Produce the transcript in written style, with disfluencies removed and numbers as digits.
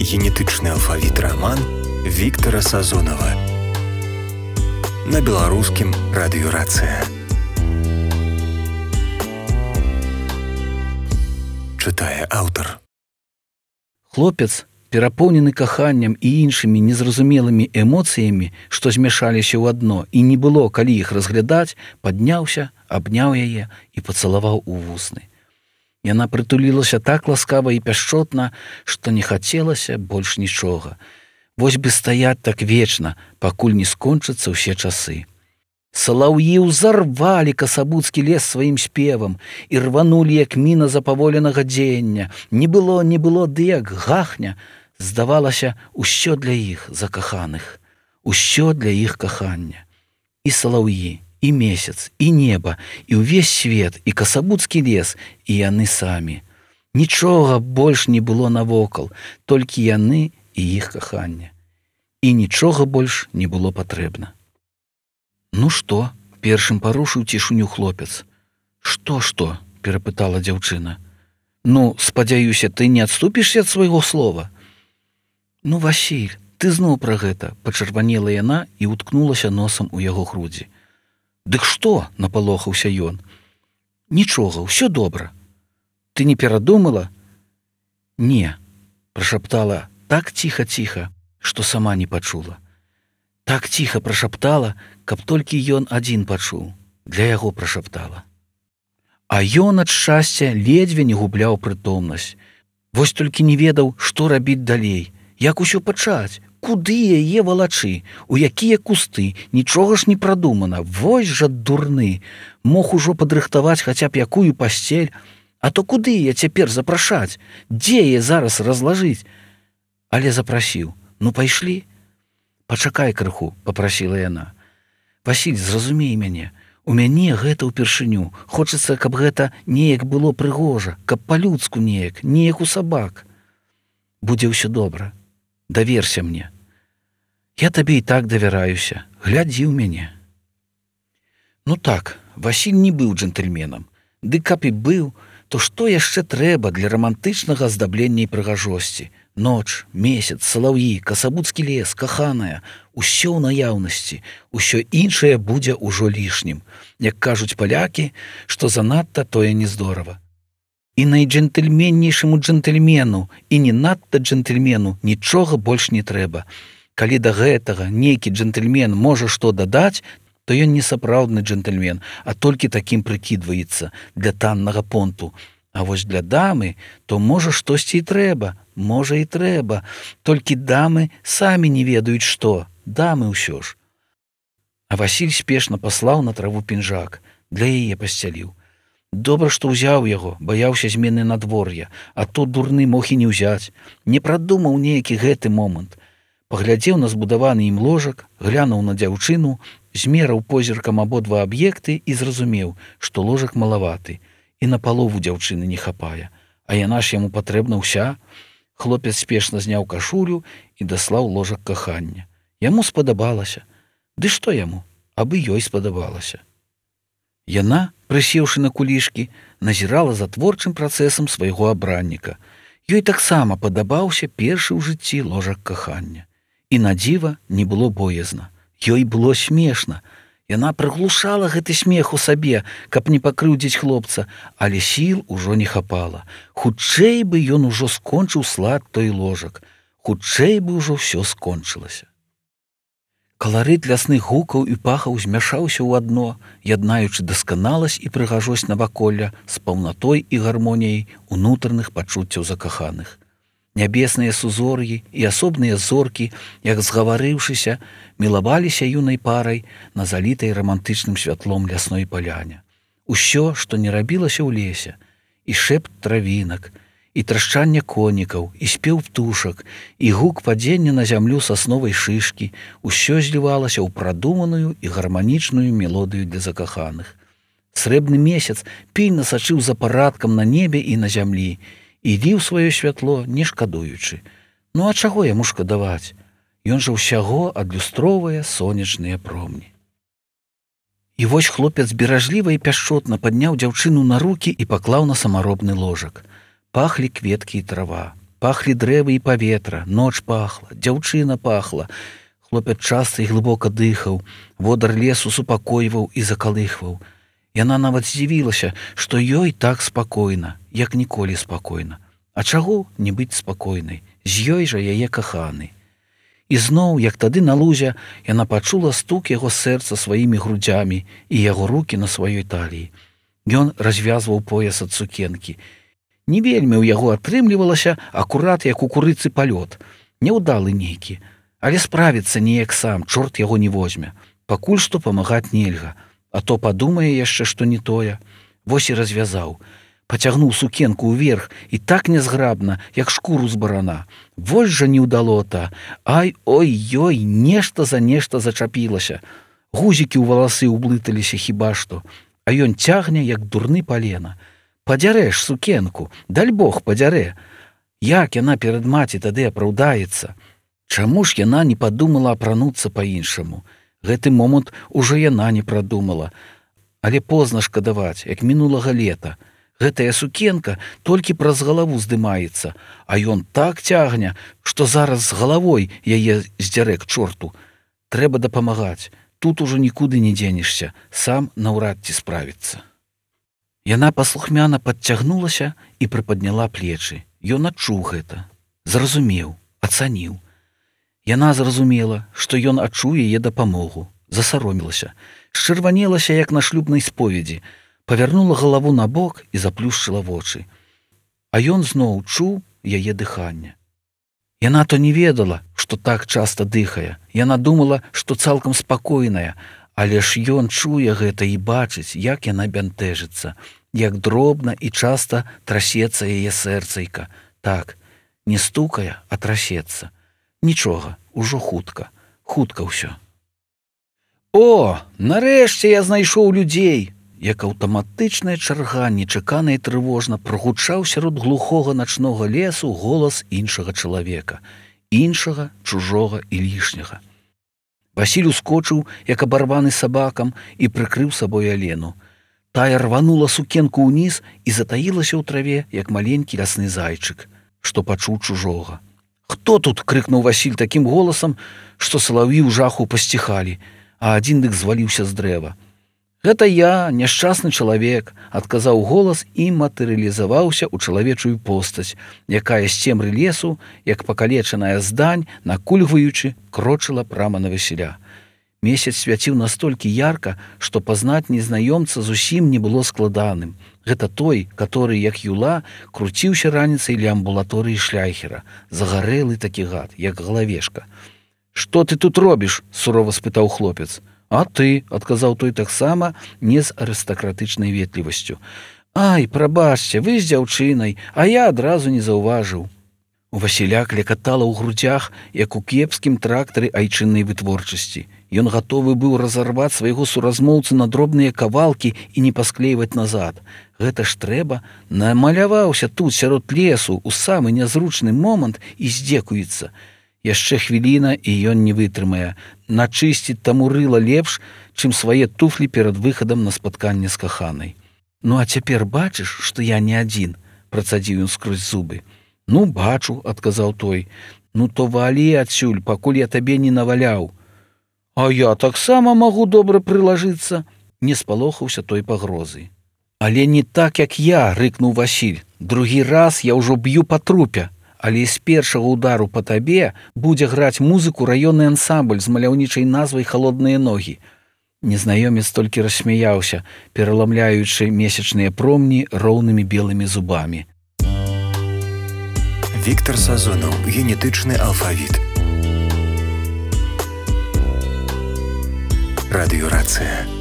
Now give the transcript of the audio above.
Генетычны алфавіт раман Віктара Сазонава на беларускім радыёрацыя. Чытае аўтар. Хлопец, перапоўнены каханнем і іншымі незразумелымі эмоцыямі, што змяшаліся ў адно і не было калі іх разглядаць, падняўся, абняў яе і пацалаваў у вусны. Яна прытулілася так ласкава і пяшчотна, што не хацелася больш нічога. Вось бы стаяць так вечна, пакуль не скончацца ўсе часы. Салаўі ўзарвалі касабуцкі лес сваім спевам і рванулі, як міна запаволенага дзеяння. Не было, ды як гахня. Здавалася, усё для іх закаханых, усё для іх кахання. І салаўі, і месяц, і неба, і ўвесь свет, і касабуцкі лес, і яны самі. Нічога больш не было навокал, толькі яны і іх каханне. І нічога больш не было патрэбна. «Ну што?» – першым парушыў цішыню хлопец. «Што?» – перапытала дзяўчына. «Ну, спадзяюся, ты не адступішся ад свайго слова?» «Ну, Васіль, ты зноў пра гэта», – пачырванела яна і ўткнулася носам у яго грудзі. «Дык што?» – напалохаўся ён. «Нічога, ўсё добра. Ты не перадумала?» «Не», – прашаптала так ціха-ціха, што сама не пачула. Так ціха прашаптала, каб толькі ён адзін пачуў. Для яго прашаптала. А ён ад шчасця ледзьве не губляў прытомнасць. Вось толькі не ведаў, што рабіць далей. Як усё пачаць? Куды яе валачы? У якія кусты? Нічога ж не прадумана. Вось жа дурны. Мог ужо падрыхтаваць хаця б якую пасцель. А то куды я цяпер запрашаць? Дзе яе зараз разлажыць? Але запрасіў. Ну, пайшлі? «Пачакай крыху», – папрасіла яна. «Васіль, зразумей мяне. У мяне гэта ўпершыню. Хочацца, каб гэта неяк было прыгожа, каб па-людску неяк у сабак. Будзе ўсё добра. Даверся мне. Я табе і так давяраюся. Глядзі ў мяне». Ну так, Васіль не быў джентльменам. Ды каб і быў, то што яшчэ трэба для рамантычнага аздаблення і прыгажосці? Ноч, месяц, салаўі, касабуцкі лес, каханая, усё ў наяўнасці, усё іншае будзе ўжо лішнім. Як кажуць палякі, што занадта тое не здорава. І найджентльменнейшаму джентльмену, і не надта джентльмену нічога больш не трэба. Калі да гэтага нейкі джентльмен можа што дадаць, то ён не сапраўдны джентльмен, а толькі такім прыкідваецца для таннага понту. А вось для дамы, то можа штосьці і трэба, можа і трэба. Толькі дамы самі не ведаюць што, дамы ўсё ж. А Васіль спешна паслаў на траву пінжак, для яе пасцяліў. Добра, што ўзяў яго, баяўся змены надвор'я, а то дурны мог і не ўзяць. Не прадумаў нейкі гэты момант. Паглядзеў на збудаваны ім ложак, глянуў на дзяўчыну, змераў позіркам абодва аб'екты і зразумеў, што ложак малаваты. І на палову дзяўчыны не хапае, а яна ж яму патрэбна ўся. Хлопец спешна зняў кашулю і даслаў ложак кахання. Яму спадабалася. Ды што яму? Абы ёй спадабалася. Яна, прысеўшы на кулішкі, назірала за творчым працэсам свайго абранніка. Ёй таксама падабаўся першы ў жыцці ложак кахання. І на дзіва не было боязна. Ёй было смешна. Яна прыглушала гэты смех у сабе, каб не пакрыўдзіць хлопца, але сіл ужо не хапала. Хутчэй бы ён ужо скончыў слад той ложак. Хутчэй бы ўжо ўсё скончылася. Каларыт лясных гукаў і пахаў змяшаўся ў адно, яднаючы дасканаласць і прыгажосць наваколля з паўнатой і гармоніяй унутраных пачуццяў закаханых. Нябесныя сузор'і і асобныя зоркі, як згаварыўшыся, мілаваліся юнай парай на залітай рамантычным святлом лясной паляне. Усё, што не рабілася ў лесе, і шэпт травінак, і трашчанне конікаў, і спеў птушак, і гук падзення на зямлю сасновай шышкі, усё злівалася ў прадуманую і гарманічную мелодыю для закаханых. Срэбны месяц пільна сачыў за парадкам на небе і на зямлі, і ліў сваё святло, не шкадуючы. Ну а чаго яму шкадаваць? Ён жа ўсяго адлюстроўвае сонечныя промні. І вось хлопец беражліва і пяшчотна падняў дзяўчыну на рукі і паклаў на самаробны ложак. Пахлі кветкі і трава. Пахлі дрэвы і паветра, ноч пахла, дзяўчына пахла. Хлопец часта і глыбока дыхаў, водар лесу супакойваў і закалыхваў. Яна нават здзівілася, што ёй так спакойна, як ніколі спакойна. А чаго не быць спакойнай? З ёй жа яе каханы. І зноў, як тады на лузе, яна пачула стук яго сэрца сваімі грудзямі і яго рукі на сваёй таліі. Ён развязваў пояс ад сукенкі. Не вельмі ў яго атрымлівалася акурат, як у курыцы палёт. Няўдалы нейкі. Але справіцца неяк сам, чорт яго не возьме. Пакуль што памагаць нельга. А то падумае яшчэ, што не тое. Вось і развязаў. Пацягнуў сукенку ўверх і так нязграбна, як шкуру з барана. Вось жа неўдалота. Ай, ой-ёй, нешта за нешта зачапілася. Гузікі ў валасы ўблыталіся хіба што. А ён цягне, як дурны палена. Падзярэш сукенку, даль Бог падзярэ. Як яна перад маці тады апраўдаецца? Чаму ж яна не падумала апрануцца па-іншаму? Гэты момант ужо яна не прадумала. Але позна шкадаваць, як мінулага лета. Гэтая сукенка толькі праз галаву здымаецца, а ён так цягне, што зараз з галавой яе здзярэ к чорту. Трэба дапамагаць. Тут ужо нікуды не дзенешся, сам наўрад ці справіцца. Яна паслухмяна падцягнулася і прыпадняла плечы. Ён адчуў гэта. Зразумеў, ацаніў. Яна зразумела, што ён адчуў яе дапамогу, засаромілася, счырванелася, як на шлюбнай споведзі, павярнула галаву на бок і заплюшчыла вочы. А ён зноў чуў яе дыханне. Яна то не ведала, што так часта дыхае. Яна думала, што цалкам спакойная, але ж ён чуе гэта і бачыць, як яна бянтэжыцца, як дробна і часта трасецца яе сэрцайка. Так, не стукае, а трасецца. Нічога, ужо хутка ўсё. О, нарэшце я знайшоў людзей! Як аўтаматычная чарга нечакана і трывожна прогучаў сярод глухога начнога лесу голас іншага чалавека, іншага, чужога і лішняга. Васіль ускочыў, як абарваны сабакам, і прыкрыў сабой Алену. Тая рванула сукенку ўніз і затаілася ў траве, як маленькі лясны зайчык, што пачуў чужога. «Хто тут?» – крыкнуў Васіль такім голасам, што салаві ў жаху пасціхалі, а адзін дык зваліўся з дрэва. «Гэта я, няшчасны чалавек», – адказаў голас і матэрыялізаваўся ў чалавечую постаць, якая з цемры лесу, як пакалечаная здань, накульгваючы, крочыла прама на Васіля. Месяц свяціў настолькі ярка, што пазнаць незнаёмца зусім не было складаным. Гэта той, который, як юла, круціўся раніцай ля амбулаторыі шляйхера. Загарэлы такі гад, як галавешка. «Што ты тут робіш?» – сурова спытаў хлопец. «А ты?» – адказаў той таксама не з арыстакратычнай ветлівасцю. «Ай, прабачце, вы з дзяўчынай, а я адразу не заўважыў». У Васіля клекатала ў грудзях, як у кепскім трактары айчыннай вытворчасці. Ён гатовы быў разарваць свайго суразмоўцы на дробныя кавалкі і не пасклейваць назад. Гэта ж трэба, намаляваўся тут сярод лесу у самы нязручны момант і здзекуецца. Яшчэ хвіліна, і ён не вытрымае. Начысціць таму рыла лепш, чым свае туфлі перад выхадам на спатканне з каханай. «Ну а цяпер бачыш, што я не адзін?» – працадзіў ён скрозь зубы. «Ну, бачу», – адказаў той. «Ну, то валі адсюль, пакуль я табе не наваляў». «А я таксама магу добра прылажыцца», – не спалохаўся той пагрозы. «Але не так, як я», – рыкнуў Васіль. «Другі раз я ўжо б'ю па трупе, але з першага удару па табе будзе граць музыку раённы ансамбль з маляўнічай назвай «Халодныя ногі». Незнаёмец толькі рассмяяўся, пераламляючы месячныя промні роўнымі белымі зубамі. Віктор Сазонаў. Генетычны алфавіт. Радыёрацыя.